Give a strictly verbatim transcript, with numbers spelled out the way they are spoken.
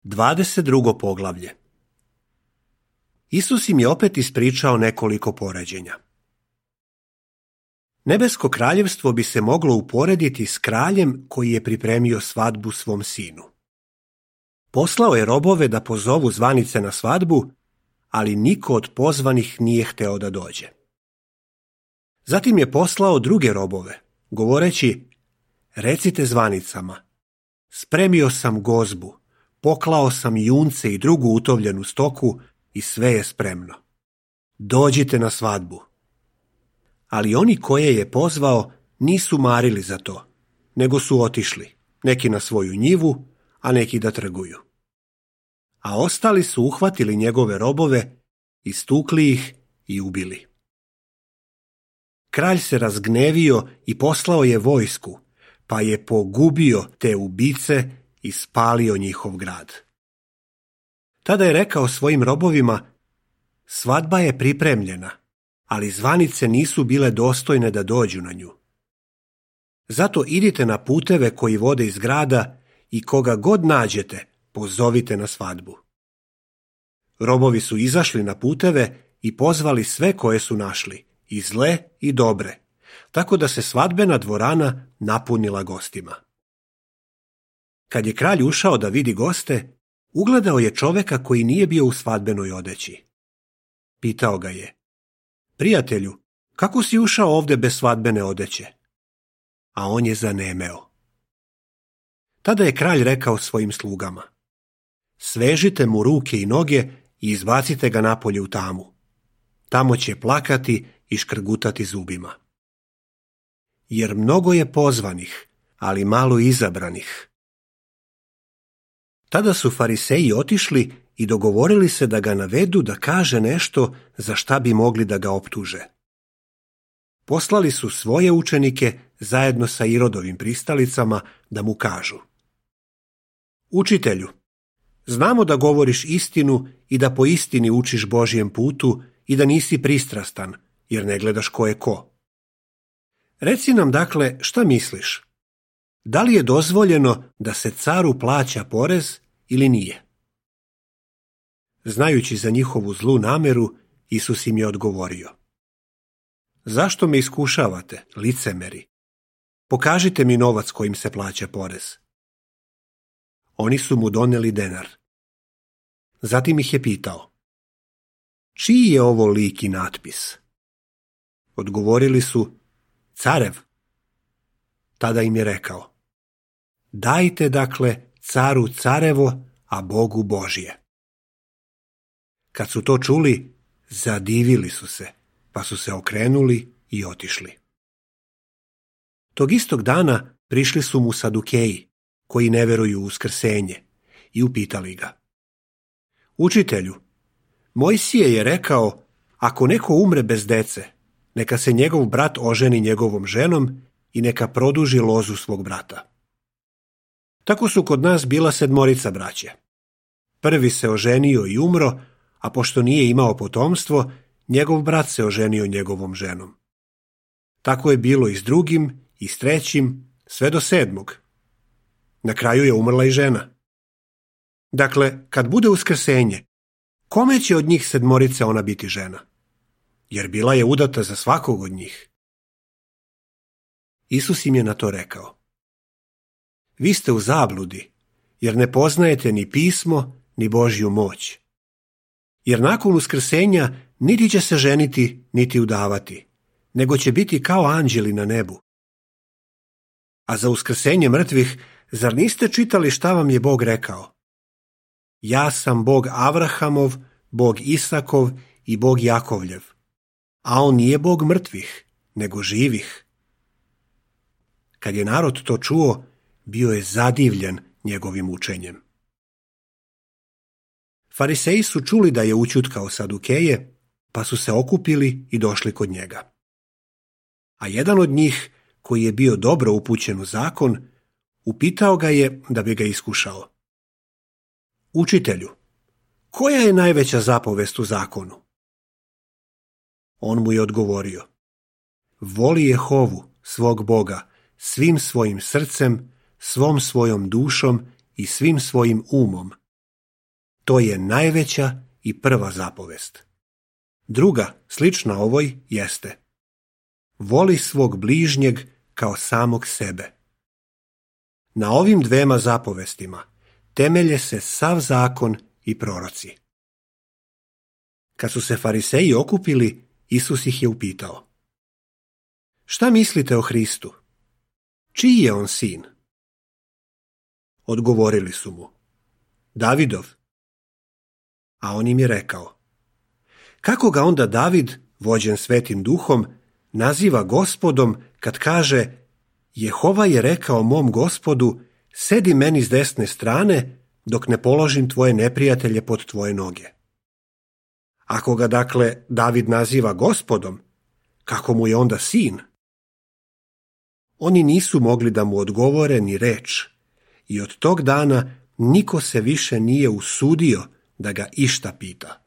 dvadeset drugo poglavlje. Isus im je opet ispričao nekoliko poređenja. Nebesko kraljevstvo bi se moglo uporediti s kraljem koji je pripremio svadbu svom sinu. Poslao je robove da pozovu zvanice na svadbu, ali niko od pozvanih nije hteo da dođe. Zatim je poslao druge robove, govoreći: recite zvanicama, spremio sam gozbu, poklao sam junce i drugu utovljenu stoku i sve je spremno. Dođite na svadbu. Ali oni koje je pozvao nisu marili za to, nego su otišli, neki na svoju njivu, a neki da trguju. A ostali su uhvatili njegove robove, istukli ih i ubili. Kralj se razgnevio i poslao je vojsku, pa je pogubio te ubice i spalio njihov grad. Tada je rekao svojim robovima: svadba je pripremljena, ali zvanice nisu bile dostojne da dođu na nju. Zato idite na puteve koji vode iz grada i koga god nađete, pozovite na svadbu. Robovi su izašli na puteve i pozvali sve koje su našli, i zle i dobre, tako da se svadbena dvorana napunila gostima. Kad je kralj ušao da vidi goste, ugledao je čoveka koji nije bio u svadbenoj odeći. Pitao ga je: prijatelju, kako si ušao ovde bez svadbene odeće? A on je zanemeo. Tada je kralj rekao svojim slugama: svežite mu ruke i noge i izbacite ga napolje u tamu. Tamo će plakati i škrgutati zubima. Jer mnogo je pozvanih, ali malo izabranih. Tada su fariseji otišli i dogovorili se da ga navedu da kaže nešto za šta bi mogli da ga optuže. Poslali su svoje učenike zajedno sa Irodovim pristalicama da mu kažu: učitelju, znamo da govoriš istinu i da po istini učiš Božjem putu i da nisi pristrastan, jer ne gledaš ko je ko. Reci nam dakle šta misliš? Da li je dozvoljeno da se caru plaća porez ili nije? Znajući za njihovu zlu nameru, Isus im je odgovorio: zašto me iskušavate, licemeri? Pokažite mi novac kojim se plaća porez. Oni su mu doneli denar. Zatim ih je pitao: čiji je ovo lik i natpis? Odgovorili su: carev. Tada im je rekao: dajte dakle caru carevo, a Bogu Božje. Kad su to čuli, zadivili su se, pa su se okrenuli i otišli. Tog istog dana prišli su mu Sadukeji, koji ne veruju u uskrsenje, i upitali ga: učitelju, Mojsije je rekao, ako neko umre bez dece, neka se njegov brat oženi njegovom ženom i neka produži lozu svog brata. Tako su kod nas bila sedmorica braće. Prvi se oženio i umro, a pošto nije imao potomstvo, njegov brat se oženio njegovom ženom. Tako je bilo i s drugim, i s trećim, sve do sedmog. Na kraju je umrla i žena. Dakle, kad bude uskrsenje, kome će od njih sedmorice ona biti žena? Jer bila je udata za svakog od njih. Isus im je na to rekao: vi ste u zabludi, jer ne poznajete ni pismo, ni Božju moć. Jer nakon uskrsenja niti će se ženiti, niti udavati, nego će biti kao anđeli na nebu. A za uskrsenje mrtvih, zar niste čitali šta vam je Bog rekao? Ja sam Bog Avrahamov, Bog Isakov i Bog Jakovljev. A on nije Bog mrtvih, nego živih. Kad je narod to čuo, bio je zadivljen njegovim učenjem. Fariseji su čuli da je ućutkao Sadukeje, pa su se okupili i došli kod njega. A jedan od njih, koji je bio dobro upućen u zakon, upitao ga je da bi ga iskušao: učitelju, koja je najveća zapovest u zakonu? On mu je odgovorio: voli Jehovu, svog Boga, svim svojim srcem, svom svojom dušom i svim svojim umom To je najveća i prva zapovest. Druga, slična ovoj, jeste: voli svog bližnjeg kao samog sebe. Na ovim dvema zapovestima temelje se sav zakon i proroci. Kad su se fariseji okupili, Isus ih je upitao: šta mislite o Hristu? Čiji je on sin? Odgovorili su mu: Davidov. A on im je rekao: kako ga onda David, vođen Svetim Duhom, naziva Gospodom kad kaže: Jehova je rekao mom Gospodu, sedi meni s desne strane dok ne položim tvoje neprijatelje pod tvoje noge. Ako ga dakle David naziva Gospodom, kako mu je onda sin? Oni nisu mogli da mu odgovore ni reč i od tog dana niko se više nije usudio da ga išta pita.